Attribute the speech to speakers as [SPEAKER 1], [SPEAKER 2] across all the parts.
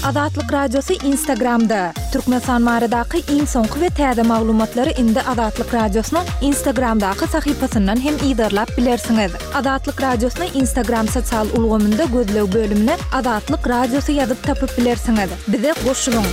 [SPEAKER 1] Azatlyk Radiosy Instagramda! Türkmenistan baradaky iň soňky we täze maglumatlary indi Azatlyk Radiosynyň Instagramdaky sahypasyndan hem yzarlap bilersiňiz. Azatlyk Radiosyny Instagram sosial ulgamynda gözleg bölümine Azatlyk Radiosy ýazyp tapyp bilersiňiz. Bize goşulyň!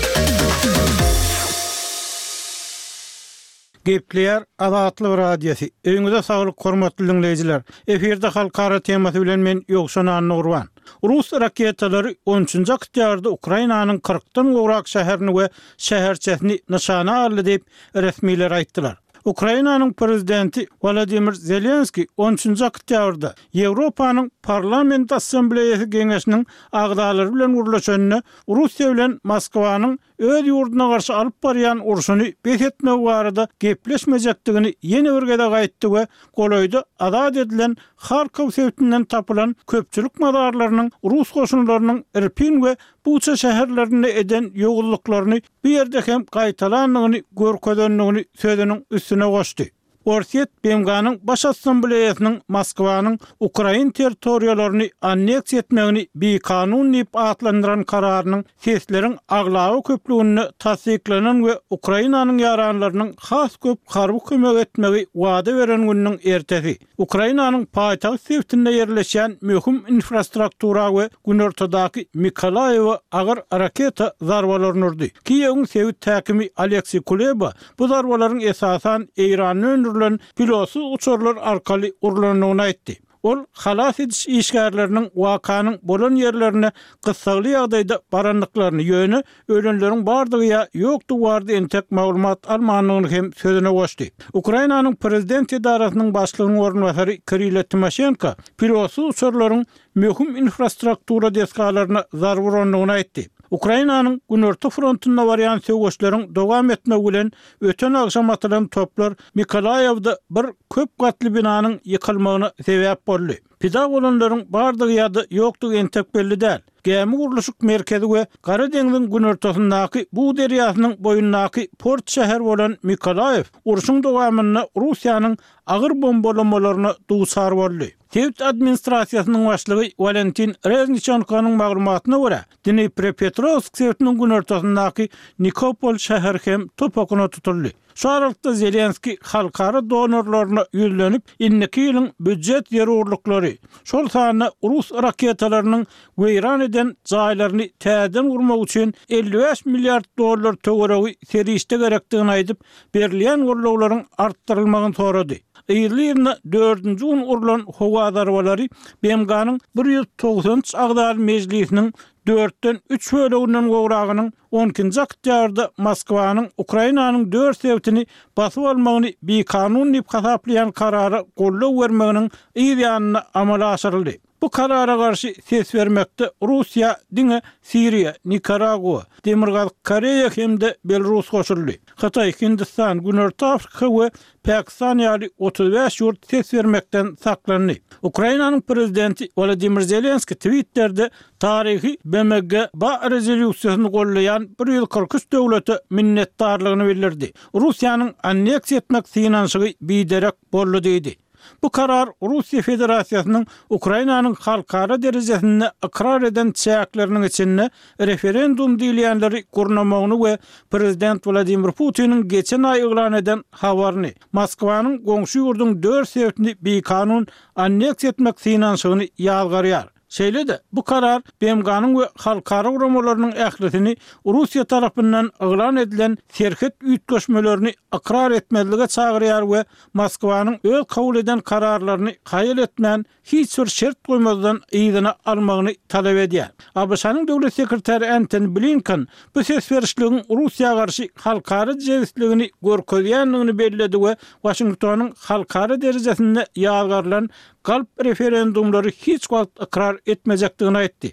[SPEAKER 2] Gepleýär Azatlyk Radiosy. Öýüňize saglyk hormatly diňleýjiler. Efirde halkara temasy bilen men Ýowşan Annagurban. Rus raketalary on üçünji oktýabrda Ukrainanyň kyrkdan gowrak şäherini we şäherçesini nyşana aldy diýip, resmiler aýtdylar. Ukrainanyň prezidenti Wolodymyr Zelenskiý on üçünji oktýabrda Ýewropanyň Parlament Assambleýasy geňeşiniň agzalary bilen gürleşende Russiýa bilen Moskwanyň öz ýurduna garşy alyp barýan urşuny bes etmegi barada gepleşmejekdigini ýene bir gezek aýtdy we golaýda azat edilen Harkow sebitinden tapylan köpçülik mazarlarynyň rus goşunlarynyň Irpin we Buça şäherlerinde eden ýowuzlyklaryny bu ýerde hem gaýtalandygyny görkezendigini sözüniň üstüne goşdy. Orsýet BMG-niň Baş Assambleýasynyň Moskwanyň ukrain territoriýalaryny anneksiýa etmegini bikanun diýip atlandyran kararynyň sesleriň aglaba köplüginde tassyklanan we Ukrainanyň ýaranlarynyň has köp harby kömek etmegi wada beren gününiň ertesi Ukrainanyň paýtagt sebitinde ýerleşýän möhüm infrastruktura we günortadaky Mykolaýewe agyr raketa zarbalaryny urdy. Kiýewiň sebit häkimi Oleksiý Kuleba bu zarbalaryň esasan Eýranda öndürilen pilotsyz uçarlar arkaly urlandygyny aýtdy. Ol halas ediş işgärleriniň wakanyň bolan ýerlerine gyssagly ýagdaýda barandyklaryny, ýöne ölenleriň bardygy ýa ýokdugy barada entek maglumat almandygyny hem sözüne goşdy. Ukrainanyň prezident edarasynyň başlygynyň orunbasary Kirilo Timoşenko pilotsyz uçarlaryň möhüm infrastruktura desgalaryna zarba urandygyny aýtdy. Ukrainanyň günorta frontunda barýan söweşleriň dowam etmegi bilen öten agşam atylan toplar Mykolaýewde bir köp gatly binanyň ýykylmagyna sebäp boldy. Pida bolanlaryň bardygy ýa-da ýokdugy entek belli däl. Gämi gurluşyk merkezi we Gara deňziň günortasyndaky Bug derýasynyň boýundaky port şäher bolan Mykolaýew urşuň dowamynda Russiýanyň agyr bombalamalaryna duçar boldy. Sebit administrasiýasynyň başlygy Walentin Rezniçenkonyň maglumatyna görä, Dniprepetrowsk sebitiniň günortasyndaky Nikopol şäheri hem top okuna tutuldy. Şu aralykda Zelenskiý halkara donorlaryna ýüzlenip, indiki ýylyň býujet zerurlyklary, şol sanda rus raketalarynyň weýran eden jaýlaryny täzeden gurmak üçin 55 milliard dollar töweregi serişde gerekdigini aýdyp, berilýän gollawlaryň artdyrylmagyny sorady. Yzly-yzyna dördünji gün urlan howa zarbalary BMG-niň 193 agzaly mejlisiniň dörtden üç böleginden gowragynyň on ikinji oktýabrda Moskwanyň Ukrainanyň dört sebitini basyp almagyny bikanun diýip hasaplaýan karara goldaw bermeginiň yz ýanynda amala aşyryldy. Bu karara garşy ses bermekde Russiýa diňe Siriýa, Nikaragua, Demirgazyk Koreýa hem-de Belarus goşuldy. Hytaý, Hindistan, Günorta Afrika we Pakistan ýaly 35 ýurt ses bermekden saklandy. Ukrainanyň prezidenti Wolodymyr Zelenskiý Twitterde taryhy BMG-ba rezolýusiýasyny goldaýan 143 döwlete minnetdarlygyny bildirdi. Russiýanyň anneksiýa etmek synanyşygy biderek boldy diýdi. Bu karar Russiýa Federasiýasynyň Ukrainanyň halkara derejesinde ykrar eden çäkleriniň içinde referendum diýilýänleri gurnamagyny we prezident Wladimir Putiniň geçen aý yglan eden habaryny, Moskwanyň goňşy ýurduň dört sebitini bikanun anneksiýa etmek synanyşygyny ýazgarýar. Şeýle-de, bu karar BMG-niň we halkara guramalarynyň ählisini Russiýa tarapyndan yglan edilen serhet üýtgeşmelerini ykrar etmezlige çagyrýar we Moskwanyň öz kabul eden kararlaryny haýal etmän, hiç bir şert goýmazdan yzyna almagyny talap edýär. ABŞ-nyň döwlet sekretary Entoni Blinken bu ses berişligiň Russiýa garşy halkara jebisligini görkezýändigini belledi we Waşingtonyň halkara derejesinde ýazgarylan galp referendumlary hiç wagt ykrar etmejekdigini aýtdy.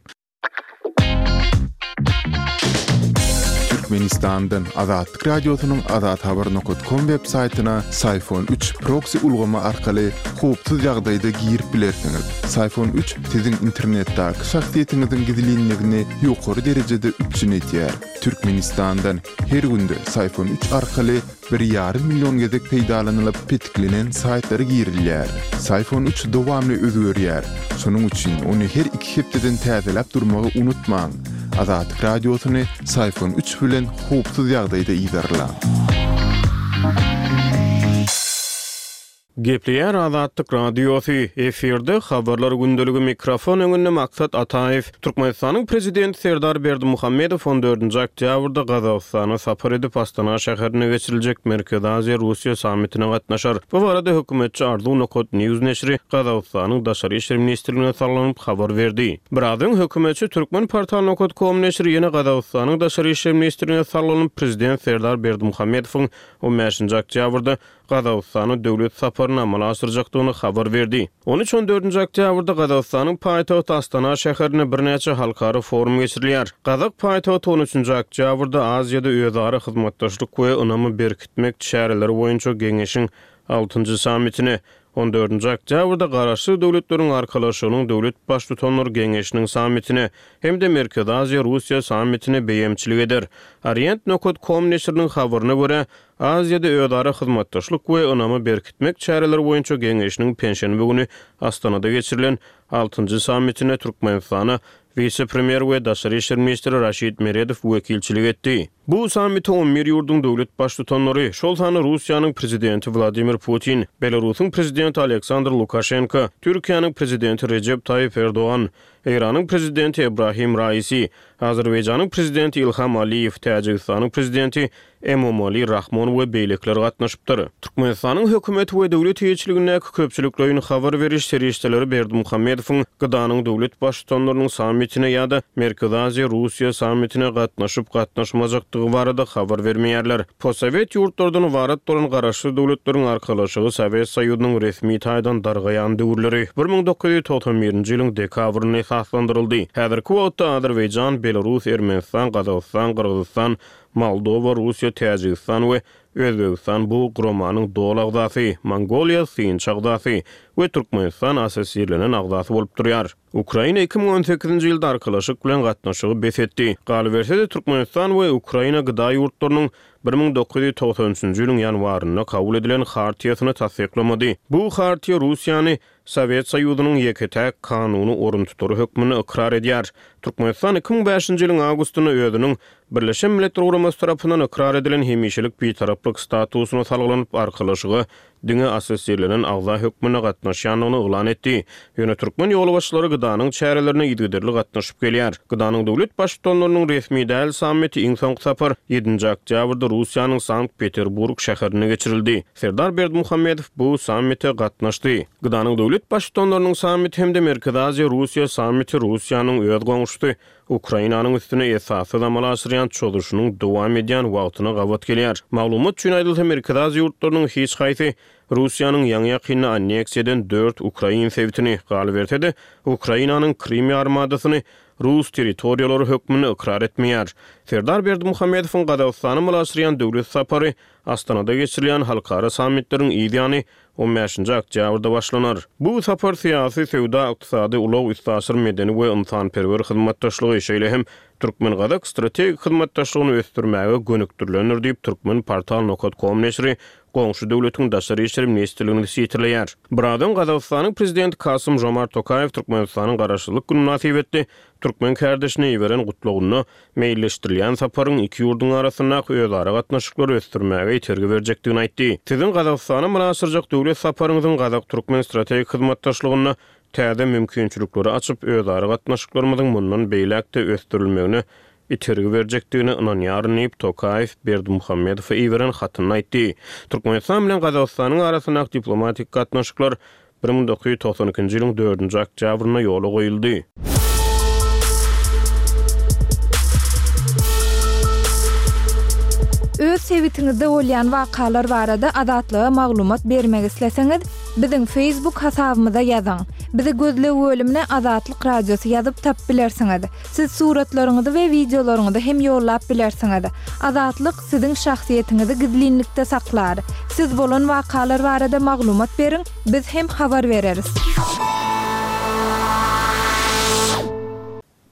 [SPEAKER 3] Türkmenistandan Azatlyk Radiosynyň Azathabar nokat kom web saýtyna Syfon 3 proksi ulgamy arkaly howpsuz ýagdaýda girip bilersiňiz. Syfon 3 siziň internetdäki şahsyýetiňiziň gizlinligini ýokary derejede üpjün edýär. Türkmenistandan her günde Syfon 3 arkaly Bir ýarym million gezek peýdalanylyp petiklenen saýtlara girilýär. Syfon üç dowamly özgerýär. Şonuň üçin ony her iki hepdeden täzeläp durmagy unutmaň. Azatlyk Radiosyny Syfon üç bilen howpsuz ýagdaýda yzarlaň.
[SPEAKER 4] Gepleýär Azatlyk Radiosy, efirde Habarlar gündeligi mikrofon öňünde Maksat Ataýew. Türkmenistanyň Prezidenti Serdar Berdimuhamedow on dördünji oktýabrda Gazagystana sapar edip, Astana şäherinde geçiriljek Merkezi Aziýa, Russiýa sammitine gatnaşar. Bu barada hökümetçi Arzuw nokat news neşiri Gazagystanyň Daşary işler ministrligine salgylanyp habar berdi. Biraz öň hökümetçi Türkmenportal nokat kom neşiri ýene Gazagystanyň Daşary işler ministrligine salgylanyp, Prezident Serdar Berdimuhamedowyň on bäşinji oktýabrda Gazagystana döwlet saparyny amala aşyrjakdygyny habar berdi. On üç-on dördünji oktýabrda Gazagystanyň paýtagty Astana şäherinde birnäçe halkara forum geçirilýär. Gazak paýtagty on üçünji oktýabrda Aziýada özara hyzmatdaşlyk we ynamy berkitmek çäreleri boýunça geňeşiň altynjy sammitine, on dördünji oktýabrda Garaşsyz Döwletleriň Arkalaşygynyň Döwlet Baştutanlar Geňeşiniň sammitine hem-de Merkezi Aziýa-Russiýa sammitine beýemçilik eder. Orient nokat kom neşiriniň habaryna görä, Aziýada özara hyzmatdaşlyk we ynamy berkitmek çäreleri boýunça geňeşiniň penşenbe güni Astanada geçirilen altynjy sammitinde Türkmenistana wise-premýer we daşary işler ministri Raşid Meredow wekilçilik etdi. Bu sammite on bir ýurduň döwlet Baştutanlary, şol sanda Russiýanyň Prezidenti Wladimir Putin, Belarusyň Prezidenti Aleksandr Lukaşenko, Türkiýäniň Prezidenti Rejep Taýyp Erdogan, Eýranyň Prezidenti Ebrahim Raisi, Azerbaýjanyň Prezidenti Ilham Aliýew, Täjigistanyň Prezidenti Emomali Rahmon we beýlekiler gatnaşypdyr. Türkmenistanyň hökümeti we döwlet eýeçiligindäki köpçülikleýin habar beriş serişdeleri Berdimuhamedowyň GDA-nyň döwlet Baştutanlarynyň sammitine ýa-da Merkezi Aziýa-Russiýa sammitine gatnaşyp-gatnaşmajakdygy barada habar bermeýärler. Postsowet ýurtlardan ybarat bolan Garaşsyz Döwletleriň Arkalaşygy Sowet Soýuzynyň resmi taýdan dargaýan döwürleri, 1991-nji ýylyň dekabrynda esaslandyryldy. Häzirki wagtda Azerbaýjan, Belarus, Ermenistan, Gazagystan, Gyrgyzystan, Moldowa, Russiýa, Täjigistan we Özbegistan bu guramanyň doly agzasy, Mongoliýa synçy agzasy we Türkmenistan assosirlenen agzasy bolup durýar. Ukraina 2018-nji ýylda Arkalaşyk bilen gatnaşygy bes etdi. Galyberse-de, Türkmenistan we Ukraina GDA ýurtlarynyň 1993-nji ýylyň ýanwarynda kabul edilen Hartiýasyny tassyklamady. Bu Hartiýa Russiýany Sowet Soýuzynyň ýeke-täk kanuny oruntutary hökmünde ykrar edýär. Türkmenistan 2005-nji ýylyň awgustynda özüniň Birleşen Milletler Guramasy tarapyndan ykrar edilen hemişelik bitaraplyk statusyna salgylanyp, Arkalaşyga diňe assosirlenen agza hökmünde gatnaşýandygyny yglan etdi. Ýöne türkmen ýolbaşçylary GDA-nyň çärelerine yzygiderli gatnaşyp gelýär. GDA-nyň döwlet Baştutanlarynyň resmi däl sammiti iň soňky sapar ýedinji oktýabrda Russiýanyň Sankt-Peterburg şäherinde geçirildi. Serdar Berdimuhamedow bu sammite gatnaşdy. GDA-nyň döwlet Baştutanlarynyň sammiti hem-de Merkezi Aziýa-Russiýa sammiti Russiýanyň öz goňşusy Ukrainanyň üstüne esassyz amala aşyrýan çozuşynyň dowam edýän wagtyna gabat gelýär. Maglumat üçin aýdylsa, Merkezi Aziýa ýurtlarynyň hiç haýsy Russiýanyň ýaňy-ýakynda anneksiýa eden dört ukrain sebitini, galyberse-de, Ukrainanyň Krym ýarymadasyny rus territoriýalary hökmünde ykrar etmeýär. Serdar Berdimuhamedowyň Gazagystana amala aşyrýan döwlet sapary Astanada geçirilýän halkara sammitleriň yz ýany on bäşinji oktýabrda başlanar. Bu sapar syýasy, söwda, ykdysady, ulag, üstaşyr, medeni we ynsanperwer hyzmatdaşlygy, şeýle hem türkmen-gazak strategik hyzmatdaşlygyny ösdürmäge gönükdirilendir diýip, Turkmenportal nokat kom neşiri goňşy döwletiň Daşary işler ministrligini sitirleýär. Biraz öň Gazagystanyň Prezidenti Kasym-Žomart Tokaýew Türkmenistanyň Garaşsyzlyk güni mynasybetli türkmen kärdeşine iberen gutlagynda Meýilleşdirilýän saparyň iki ýurduň arasyndaky özara gatnaşyklary ösdürmäge itergi berjekdigini aýtdy. Siziň Gazagystana amala aşyrjak döwlet saparyňyzyň gazak-türkmen strategik hyzmatdaşlygynda täze mümkinçilikleri açyp, özara gatnaşyklarymyzyň mundan beýläk-de ösdürilmegine itergi berjekdigine ynanýaryn diýip, Tokaýew Berdimuhamedowa iberen hatynda aýtdy. Türkmenistan bilen Gazagystanyň arasyndaky diplomatik gatnaşyklar 1992-nji ýylyň dördünji oktýabrynda ýola goýuldy.
[SPEAKER 1] Öz sebitiňizde bolýan wakalar barada Azatlyga maglumat bermek isleseňiz, biziň Facebook hasabymyza ýazyň. Bizi gözleg bölümine Azatlyk Radiosy ýazyp tapyp bilersiňiz. Siz suratlaryňyzy we wideolaryňyzy hem ýollap bilersiňiz. Azatlyk siziň şahsyýetiňizi gizlinlikde saklar. Siz bolan wakalar barada maglumat beriň, biz hem habar bereris.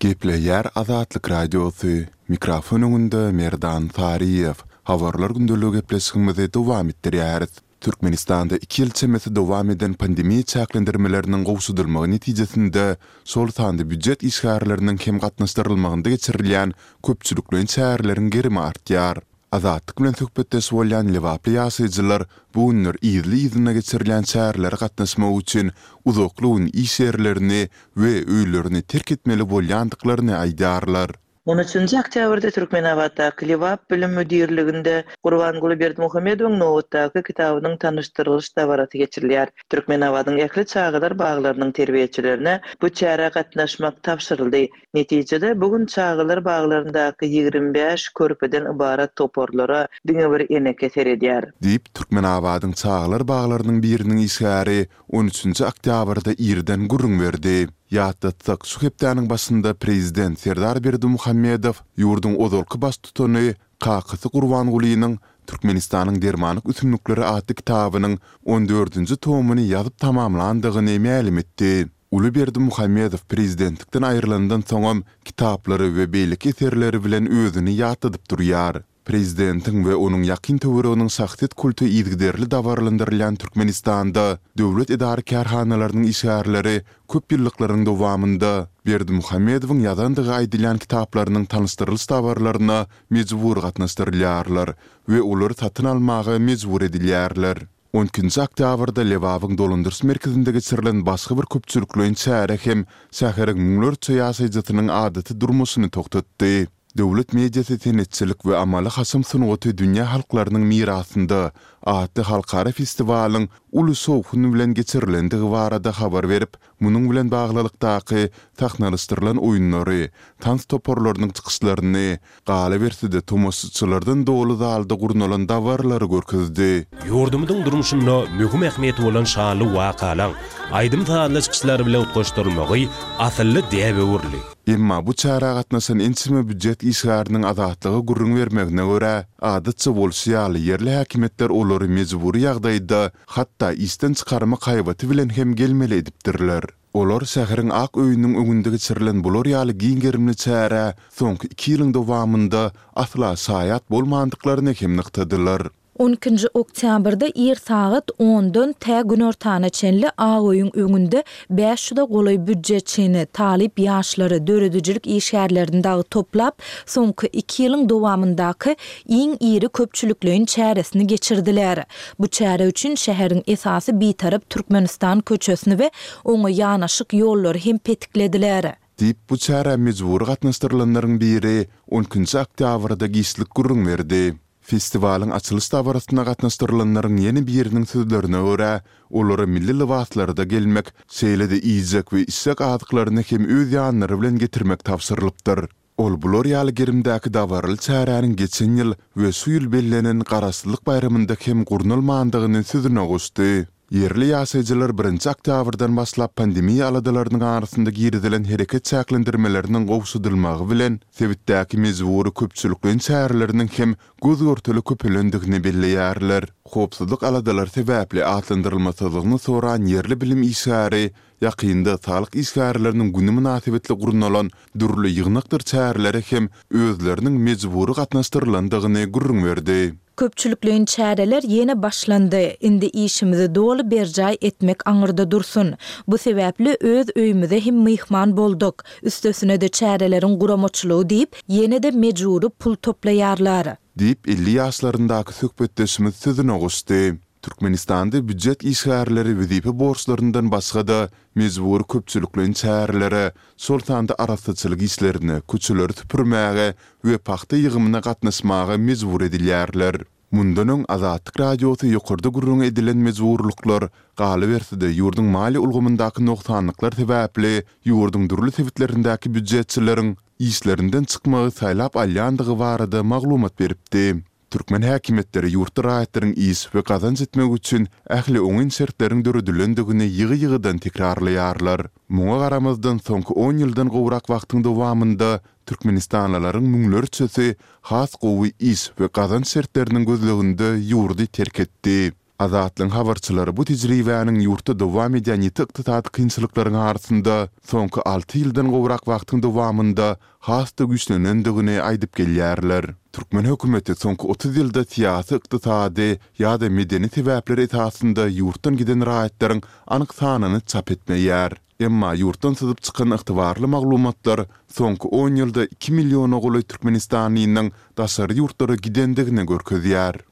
[SPEAKER 3] Gepleýär Azatlyk Radiosy, mikrofon öňünde Merdan Saryýew. Habarlar gündeligi gepleşigimizi dowam etdirýäris. Türkmenistanda iki ýyl çemesi dowam eden pandemiýa çäklendirmeleriniň gowşadylmagy netijesinde, şol sanda býujet işgärleriniň hem gatnaşdyrylmagynda geçirilýän köpçülikleýin çäreleriň gerimi artýar. Azatlyk bilen söhbetdeş bolýan lebaply ýaşaýjylar bu günler yzly-yzyna geçirilýän çärelere gatnaşmak üçin uzakly gün iş ýerlerini we öýlerini terk etmeli bolýandyklaryny aýdýarlar.
[SPEAKER 5] On üçünji oktýabrda Türkmenabatdaky Lebap bilim müdirliginde Gurbanguly Berdimuhamedowyň nobatdaky kitabynyň tanyşdyrylyş dabarasy geçirilýär. Türkmenabadyň ähli çagalar baglarynyň terbiýeçilerine bu çärä gatnaşmak tabşyryldy. Netijede, bu gün çagalar baglaryndaky 25 körpeden ybarat toparlara diňe bir eneke seredýär.
[SPEAKER 3] Diýip, Türkmenabadyň çagalar baglarynyň biriniň işgäri on üçünji oktýabrda irden gürrüň berdi. Ýatlatsak, şu hepdäniň başynda prezident Serdar Berdimuhamedow ýurduň ozalky baştutany kakasy Gurbangulynyň Türkmenistanyň dermanlyk ösümlikleri atly kitabynyň on dördünji tomuny ýazyp tamamlandygyny mälim etdi. Uly Berdimuhamedow prezidentlikden aýrylandan soňam kitaplary we beýleki eserleri bilen özüni ýatladyp durýar. Prezidentiň we onuň ýakyn töwereginiň şahsyýet kulty yzygiderli dabaralandyrylýan Türkmenistanda döwlet edara-kärhanalarynyň işgärleri köp ýyllyklaryň dowamynda Berdimuhamedowyň ýazandygy aýdylýan kitaplarynyň tanyşdyrylyş dabaralaryna mejbury gatnaşdyrylýarlar we olary satyn almaga mejbur edilýärler. On ikinji oktýabrda Lebabyň dolandyryş merkezinde geçirilen başga bir köpçülikleýin çäre hem şäheriň müňlerçe ýaşaýjysynyň adaty durmuşyny togtatdy. Döwlet mediasy Senetçilik we amaly-haşam sungaty dünýä halklarynyň mirasynda atly halkara festiwalyň uly şowhun bilen geçirilendigi barada habar berip, Munuň bilen baglylykdaky sahnalaşdyrylan oýunlary, tans toparlarynyň çykyşlaryny, galyberse-de tomaşaçylardan doly zalda gurnalan dabaralary görkezdi.
[SPEAKER 6] Ýurdumyzyň durmuşynda möhüm ähmiýeti bolan şanly wakalaň aýdym-sazly çykyşlar bilen utgaşdyrylmagy asylly däbe öwrüldi.
[SPEAKER 3] Emma bu çärä gatnaşan ençeme býujet işgäriniň Azatlyga gürrüň bermegine görä, adatça bolşy ýaly ýerli häkimiýetler olary mejbury ýagdaýda Hatda işden çykarmak haýbaty bilen hem gelmeli edipdirler. Olar şäheriň Ak öýüniň öňünde geçirilen bular ýaly giň gerimli çärä soňky iki ýylyň dowamynda asla şaýat bolmandyklaryny hem nygtadylar.
[SPEAKER 1] On ikinji oktýabrda ir sagat ondan tä günortana çenli Ak öýüň öňünde bäş ýüze golaý býudjetçini, talyp ýaşlary, döredijilik işgärlerini dagy toplap, soňky iki ýylyň dowamyndaky iň iri köpçülikleýin çäresini geçirdiler. Bu çäre üçin şäheriň esasy Bitarap Türkmenistan köçesini we oňa ýanaşyk ýollary hem petiklediler.
[SPEAKER 3] Diýip, bu çärä mejbury gatnaşdyrylanlaryň biri on ikinji oktýabrda giçlik gürrüň berdi. Festiwalyň açylyş dabarasyna gatnaşdyrylanlaryň ýene biriniň sözlerine görä, olara milli lybaslarda gelmek, şeýle-de iýjek we içjek azyklaryny hem öz ýanlary bilen getirmek tabşyrylypdyr. Ol bular ýaly gerimdäki dabaraly çäräniň geçen ýyl we şu ýyl bellenen Garaşsyzlyk baýramynda hem gurnalmandygyny sözüne goşdy. Ýerli ýaşaýjylar birinji oktýabrdan başlap pandemiýa aladalarynyň arasynda girizilen hereket çäklendirmeleriniň gowşadylmagy bilen, sebitdäki mejbury köpçülikleýin çäreleriniň hem göz-görtele köpelendigini belleýärler. Howpsuzlyk aladalary sebäpli atlandyrylmasyzlygyny soran ýerli bilim işgäri ýakynda saglyk işgärleriniň güni mynasybetli gurnalan dürli ýygnakdyr çärelere hem özleriniň mejbury gatnaşdyrylandygyny gürrüň berdi.
[SPEAKER 1] Köpçülikleýin çäreler ýene başlandy. Indi işimizi doly berjaý etmek aňyrda dursun. Bu sebäpli öz öýümize hem myhman bolduk. Üstesine-de çäreleriň guramaçylygy diýip, ýene-de mejbury pul toplaýarlar.
[SPEAKER 3] Diýip, 50 ýaşlaryndaky söhbetdeşimiz sözüne goşdy. Türkmenistanda býujet işgärleri wezipe borçlaryndan başga-da, mejbury köpçülikleýin çärelere, şol sanda arassaçylyk işlerine, köçeleri süpürmäge we pagta ýygymyna gatnaşmaga mejbur edilýärler. Mundan öň Azatlyk Radiosy ýokarda gürrüňi edilen mejburlyklar, galyberse-de ýurduň maliýe ulgamyndaky nogsanlyklar sebäpli ýurduň dürli sebitlerindäki býujetçileriň işlerinden çykmagy saýlap alýandygy barada maglumat beripdi. Türkmen häkimiýetleri ýurtda raýatlaryň iş we gazanç etmegi üçin ähli oňyn şertleriň döredilendigini ýygy-ýygydan tekrarlaýarlar. Muňa garamazdan, soňky on ýyldan gowrak wagtyň dowamynda türkmenistanlylaryň müňlerçesi has gowy iş we gazanç şertleriniň gözleginde ýurdy terk etdi. Azatlygyň habarçylary bu tejribäniň ýurtda dowam edýän ýiti ykdysady kynçylyklaryň arasynda soňky alty ýyldan gowrak wagtyň dowamynda has-da güýçlenendigini aýdyp gelýärler. Türkmen hökümeti soňky 30 ýylda syýasy, ykdysady ýa-da medeni sebäpler esasynda ýurtdan giden raýatlaryň anyk sanyny çap etmeýär. Emma ýurtdan syzyp çykan ygtybarly maglumatlar soňky on ýylda iki milliona golaý türkmenistanlynyň daşary ýurtlara gidendigini görkezýär.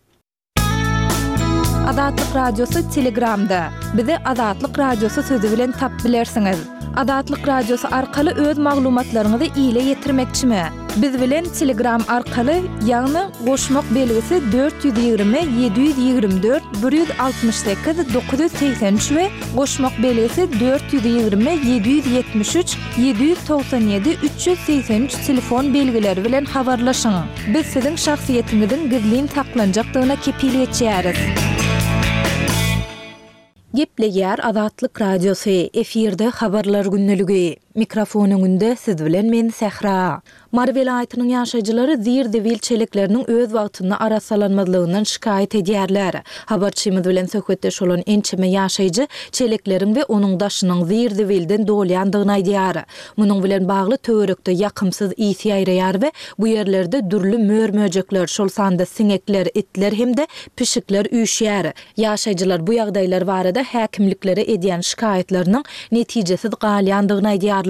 [SPEAKER 1] Azatlyk Radiosy Telegramda. Bizi Azatlyk Radiosy sözi bilen tap bilersiňiz. Azatlyk Radiosy arkaly öz maglumatlaryňyzy ile ýetirmekçimi? Biz bilen Telegram arkaly, ýagny goşmak belgisi 420 724 168 983 we goşmak belgisi 420 773 797 383 telefon belgileri bilen habarlaşyň. Biz siziň şahsyýetiňiziň gizlin saklanjakdygyna kepil geçýäris. Gepleýär Azatlyk Radiosy, efirde Habarlar gündeligi. Mikrofon öňünde siz bilen men Sähra. Mary welaýatynyň ýaşaýjylary zir-zibil çelekleriniň öz wagtynda arassalanmazlygyndan şikaýat edýärler. Habarçymyz bilen söhbetdeş bolan ençeme ýaşaýjy çelekleriň we onuň daşynyň zir-zibilden dolýandygyny aýdýar. Munuň bilen bagly töwerekde ýakymsyz ys ýaýraýar we bu ýerlerde dürli mör-möjekler, şol sanda siňekler, itler hem-de pişikler üýşýär. Ýaşaýjylar bu ýagdaýlar barada häkimliklere edýän şikaýatlarynyň netijesiz galýandygyny aýdýarlar.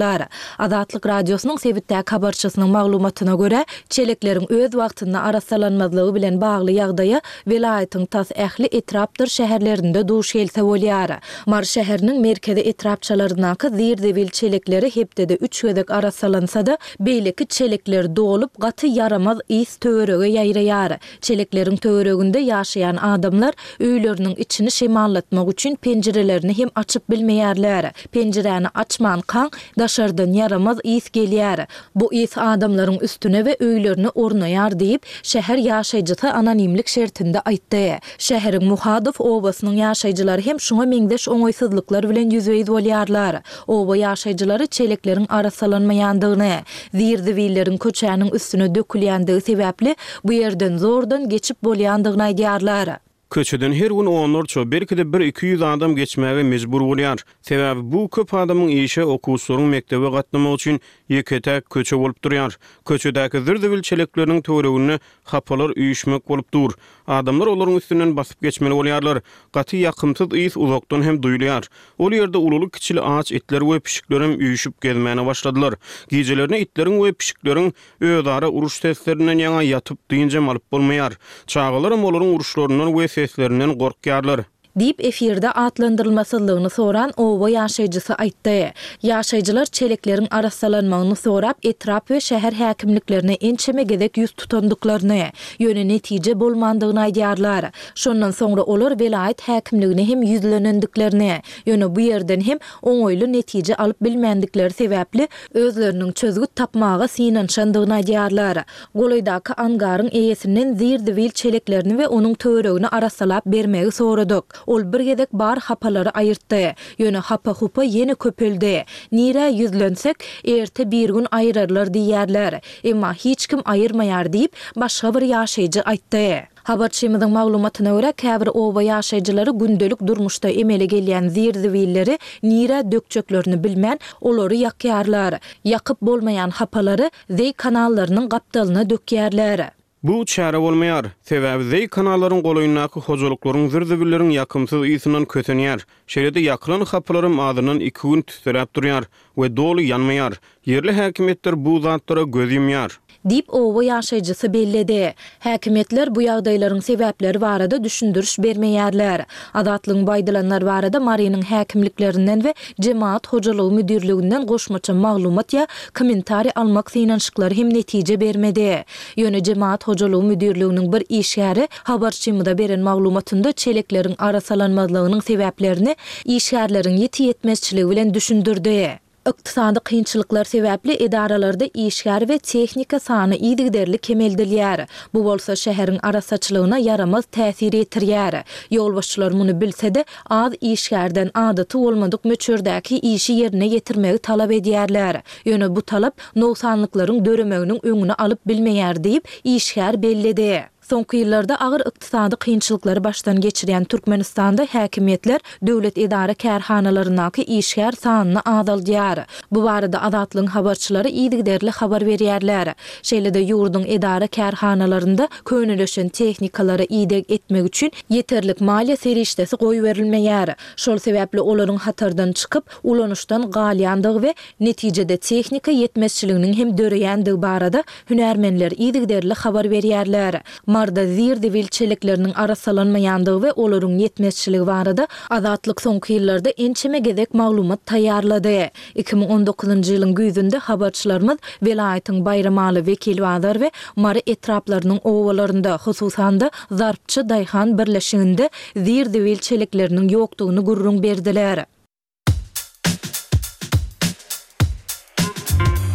[SPEAKER 1] Azatlyk Radiosynyň sebitdäki habarçysynyň maglumatyna görä, çelekleriň öz wagtynda arassalanmazlygy bilen bagly ýagdaýa welaýatyň tas ähli etrapdyr şäherlerinde duş gelse bolýar. Mary şäheriniň merkezi etrapçalaryndaky zir-zibil çelekleri hepdede üç gezek arassalansa-da, beýleki çelekler dolup, gaty ýaramaz ys töwerege ýaýraýar. Çelekleriň töwereginde ýaşaýan adamlar öýleriniň içini şemallatmak üçin penjirelerini hem açyp bilmeýärler. Penjiräni açmankaň, daşardan ýaramaz ys gelýär. Bu ys adamlaryň üstüne we öýlerine ornaýar diýip, şäher ýaşaýjysy anonimlik şertinde aýtdy. Şäheriň Muhadow obasynyň ýaşaýjylary hem şuňa meňzeş oňaýsyzlyklar bilen ýüzbe-ýüz bolýarlar. Oba ýaşaýjylary çelekleriň arassalanmaýandygyny, zir-zibilleriň köçäniň üstüne dökülýändigi sebäpli bu ýerden zordan geçip bolýandygyny aýdýarlar.
[SPEAKER 4] Köçeden her gün onlarça, belki-de bir-iki ýüz adam geçmäge mejbur bolýar. Sebäbi bu köp adamyň işe, okuwçylaryň mekdebe gatnamagy üçin ýeke-täk köçe bolup durýar. Köçedäki zir-zibil çelekleriniň töwereginde hapalar üýşmek bolup dur. Adamlar olaryň üstünden basyp geçmeli bolýarlar. Gaty ýakymsyz ys uzakdan hem duýulýar. Ol ýerde ululy-kiçili aç itler we pişiklerem üýşüp gezmäne başladylar. Gijelerine itleriň we pişikleriň özara uruş seslerinden ýaňa ýatyp dynjam alyp bolmaýar. Çagalaram olaryň uruşlaryndan we seslerinden gorkýarlar.
[SPEAKER 1] Diýip, efirde atlandyrylmasyzlygyny soran oba ýaşaýjysy aýtdy. Ýaşaýjylar çelekleriň arassalanmagyny sorap, etrap we şäher häkimliklerine ençeme gezek ýüz tutandyklaryny, ýöne netije bolmandygyny aýdýarlar. Şondan soňra olar welaýat häkimligine hem ýüzlenendiklerini, ýöne bu ýerden hem oňaýly netije alyp bilmändikleri sebäpli, özleriniň çözgüt tapmaga synanyşandygyny aýdýarlar. Golaýdaky angaryň eýesinden zir-zibil çeleklerini we onuň töweregini arassalap bermegi soradyk. Ol bir gezek bar hapalary aýyrtdy. Ýöne hapa-hupa ýene köpeldi. Nirä ýüzlensek, erte-birgün aýyrarlar diýýärler. Emma hiç kim aýyrmaýar diýip, başga bir ýaşaýjy aýtdy. Habarçymyzyň maglumatyna görä, käbir oba ýaşaýjylary gündelik durmuşda emele gelýän zir-zibilleri nirä dökjeklerini bilmän, olary ýakýarlar. Ýakyp bolmaýan hapalary zeý kanallarynyň gapdalyna dökýärler.
[SPEAKER 4] Bu çäre bolmaýar. Sebäbi zeý kanallaryň golaýyndaky hojalyklaryň zir-zibilleriň ýakymsyz ysyndan kösenýär. Şeýle-de ýakylan hapalaram azyndan iki gün tüsseläp durýar we doly ýanmaýar. Ýerli häkimiýetler bu zatlara göz ýumýar.
[SPEAKER 1] Diýip, oba ýaşaýjysy belledi. Häkimiýetler bu ýagdaýlaryň sebäpleri barada düşündiriş bermeýärler. Azatlygyň bu aýdylanlar barada Marynyň häkimliklerinden we Jemagat hojalygy müdirliginden goşmaça maglumat ýa kommentariý almak synanyşyklary hem netije bermedi. Ýöne Jemagat hojalygy müdirliginiň bir işgäri habarçymyza beren maglumatynda çelekleriň arassalanmazlygynyň sebäplerini işgärleriň ýiti ýetmezçiligi bilen düşündirdi. Ykdysady kynçylyklar sebäpli edaralarda işgär we tehnika sany yzygiderli kemeldilýär. Bu bolsa şäheriň arassaçylygyna ýaramaz täsir ýetirýär. Ýolbaşçylar muny bilse-de, az işgärden adaty bolmadyk möçberdäki işi ýerine ýetirmegi talap edýärler. Ýöne bu talap nogsanlyklaryň döremeginiň öňüni alyp bilmeýär diýip, işgär belledi. Soňky ýyllarda agyr ykdysady kynçylyklary başdan geçirýän Türkmenistanda häkimiýetler döwlet edara-kärhanalaryndaky işgär sanyny azaldýar. Bu barada Azatlygyň habarçylary yzygiderli habar berýärler. Şeýle-de ýurduň edara-kärhanalarynda könelişen tehnikalara ideg etmek üçin ýeterlik maliýe serişdesi goýberilmeýär. Şol sebäpli olaryň hatardan çykyp, ulanyşdan galýandygy we netijede tehnika ýetmezçiliginiň hem döreýändigi barada hünärmenler yzygiderli habar berýärler. Maryda zir-zibil çelekleriniň arassalanmaýandygy we olaryň ýetmezçiligi barada Azatlyk soňky ýyllarda ençeme gezek maglumat taýýarlady. 2019-njy ýylyň güýzünde habarçylarymyz welaýatyň Baýramaly, Wekilbazar we Mary etraplarynyň obalarynda, hususan-da, Zarpçy daýhan birleşiginde zir-zibil çelekleriniň ýokdugyny gürrüň berdiler.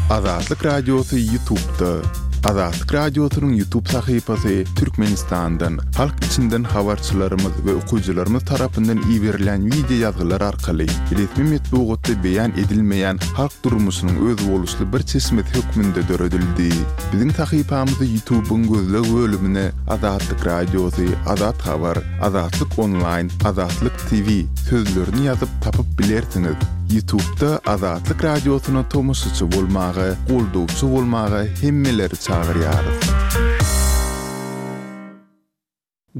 [SPEAKER 3] Azatlyk Radiosy Ýutubda. Azatlyk Radiosynyň Ýutub sahypasy Türkmenistandan, halk içinden habarçylarymyz we okyjylarymyz tarapyndan iberilýän wideo ýazgylar arkaly resmi metbugatda beýan edilmeýän halk durmuşynyň özboluşly bir çeşmesi hökmünde döredildi. Biziň sahypamyzy Ýutubyň gözleg bölümine Azatlyk Radiosy, Azat Habar, Azatlyk Onlaýn, Azatlyk TV sözlerini ýazyp tapyp bilersiňiz. Ýutubda Azatlyk Radiosyna tomaşaçy bolmaga, goldawçy bolmaga hemmeleri çagyrýarys.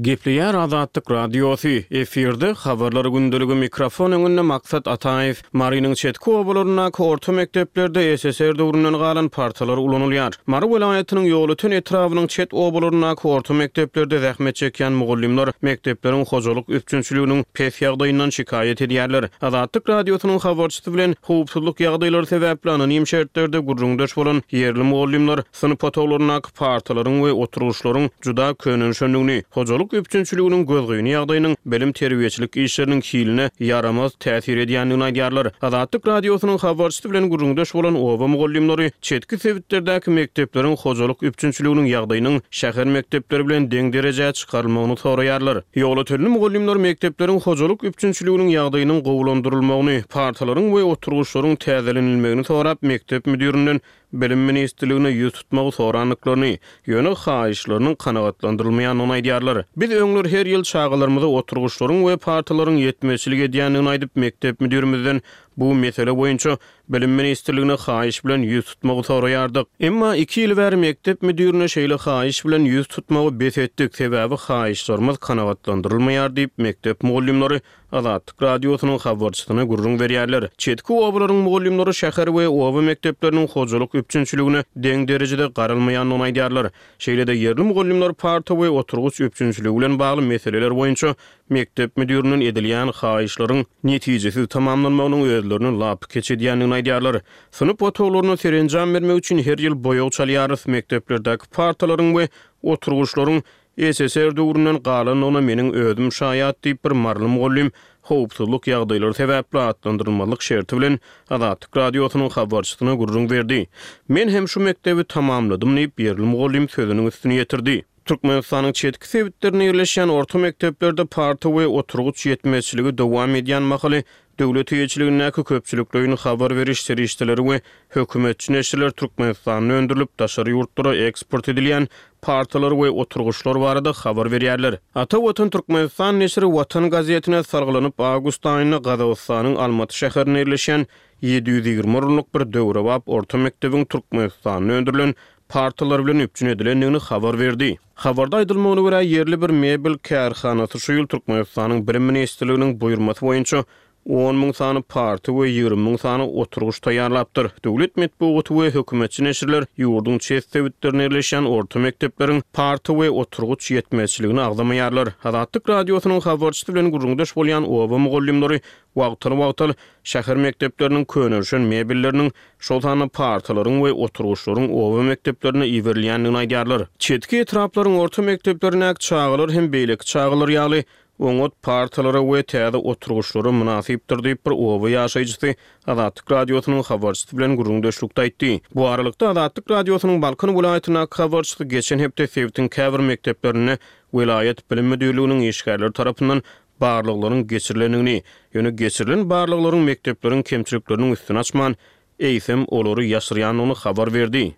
[SPEAKER 4] Gepleýär Azatlyk Radiosy, efirde Habarlar gündeligi mikrofon öňünde Maksat Ataýew. Marynyň çetki obalaryndaky orta mekdeplerde SSR döwründen galan partalar ulanylýar. Mary welaýatynyň Ýolöten etrabynyň çet obalaryndaky orta mekdeplerde zähmet çekýän mugallymlar mekdepleriň hojalyk üpjünçiliginiň pes ýagdaýyndan şikaýat edýärler. Azatlyk Radiosynyň habarçysy bilen howpsuzlyk ýagdaýlary sebäpli anonim şertlerde gürrüňdeş bolan ýerli mugallymlar synp otaglaryndaky partalaryň we oturgyçlaryň juda könelişendigini, hojalyk üpjünçiliginiň gözgyny ýagdaýynyň bilim-terbiýeçilik işleriniň hiline ýaramaz täsir edýändigini aýdýarlar. Azatlyk Radiosynyň habarçysy bilen gürrüňdeş bolan oba mugallymlary çetki sebitlerdäki mekdepleriň hojalyk üpjünçiliginiň ýagdaýynyň şäher mekdepleri bilen deň derejä çykarylmagyny soraýarlar. Ýolötenli mugallymlar mekdepleriň hojalyk üpjünçiliginiň ýagdaýynyň gowulandyrylmagyny, partalaryň we oturgyçlaryň täzelenilmegini sorap, mekdep müdirinden Bilim ministrligine ýüz tutmagy sorandyklaryny, ýöne haýyşlarynyň kanagatlandyrylmaýandygyny aýdýarlar. Biz öňler her ýyl çagalarymyza oturgyçlaryň we partalaryň ýetmezçilik edýändigini aýdyp, mekdep müdirimizden bu mesele boýunça Bilim ministrligine haýyş bilen ýüz tutmagy soraýardyk. Emma iki ýyl bäri mekdep müdirine şeýle haýyş bilen ýüz tutmagy bes etdik, sebäbi haýyşlarymyz kanagatlandyrylmaýar diýip, mekdep mugallymlary Azatlyk Radiosynyň habarçysyna gürrüň berýärler. Çetki obalaryň mugallymlary şäher we oba mekdepleriniň hojalyk üpjünçiligine deň derejede garalmaýandygyny aýdýarlar. Şeýle-de ýerli mugallymlar parta we oturgyç üpjünçiligi bilen bagly meseleler boýunça mekdep müdirinden edilýän haýyşlaryň netijesiz tamamlanmagynyň özlerini lapykeç edýändigini aýdýarlar. Synp otaglaryna serenjam bermek üçin her ýyl boýag çalýarys, mekdeplerdäki partalaryň we oturgyçlaryň SSR döwründen galandygyna meniň özüm şaýat diýip, bir maryly mugallym howpsuzlyk ýagdaýlary sebäpli atlandyrylmazlyk şerti bilen Azatlyk Radiosynyň habarçysyna gürrüň berdi. Men hem şu mekdebi tamamladym diýip, ýerli mugallym sözüniň üstüni ýetirdi. Türkmenistanyň çetki sebitlerinde ýerleşýän orta mekdeplerde parta we oturgyç ýetmezçiligi dowam edýän mahaly, Döwlet eýeçiligindäki köpçülikleýin habar beriş serişdeleri we hökümetçi neşirler Türkmenistanda öndürilip, daşary ýurtlara eksport edilýän partalar we oturgyçlar barada habar berýärler. Ata Watan Türkmenistan neşiri Watan gazetine salgylanyp, awgust aýynda Gazagystanyň Almaty şäherinde ýerleşýän 720 orunlyk bir döwrebap orta mekdebiň Türkmenistanda öndürilen partalar bilen üpjün edilendigini habar berdi. Habarda aýdylmagyna görä, ýerli bir mebel kärhanasy şu ýyl Türkmenistanyň Bilim ministrliginiň buýurmasy boýunça on müň sany parta we 20 müň sany oturgyç taýýarlapdyr. Döwlet metbugaty we hökümetçi neşirler ýurduň çet sebitlerinde ýerleşýän orta mekdepleriň parta we oturgyç ýetmezçiligini agzamaýarlar. Azatlyk Radiosynyň habarçysy bilen gürrüňdeş bolýan oba mugallymlary wagtal-wagtal şäher mekdepleriniň könelişen mebelleriniň şol sanda partalaryň we oturgyçlaryň oba mekdeplerine iberilýändigini aýdýarlar. Çetki etraplaryň orta mekdeplerindäki çagalar hem beýleki çagalar ýaly oňat partalara we täze oturgyçlara mynasypdyr diýip, bir oba ýaşaýjysy Azatlyk Radiosynyň habarçysy bilen gürrüňdeşlikde aýtdy. Bu aralykda, Azatlyk Radiosynyň Balkan welaýatyndaky habarçysy geçen hepde sebitiň käbir mekdeplerinde welaýat bilim müdirliginiň işgärleri tarapyndan barlaglaryň geçirilendigini, ýöne geçirilen barlaglaryň mekdepleriň kemçilikleriniň üstüni açman, eýsem, olary ýaşyrýandygyny habar berdi.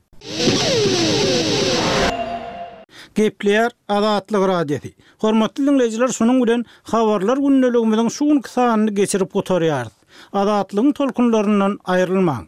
[SPEAKER 2] Gepleýär Azatlyk Radiosy. Hormatly diňleýjiler şunuň bilen Habarlar gündeligimiziň şu günki sanyny geçirip gutarýarys. Azatlygyň tolkunlaryndan aýrylmaň.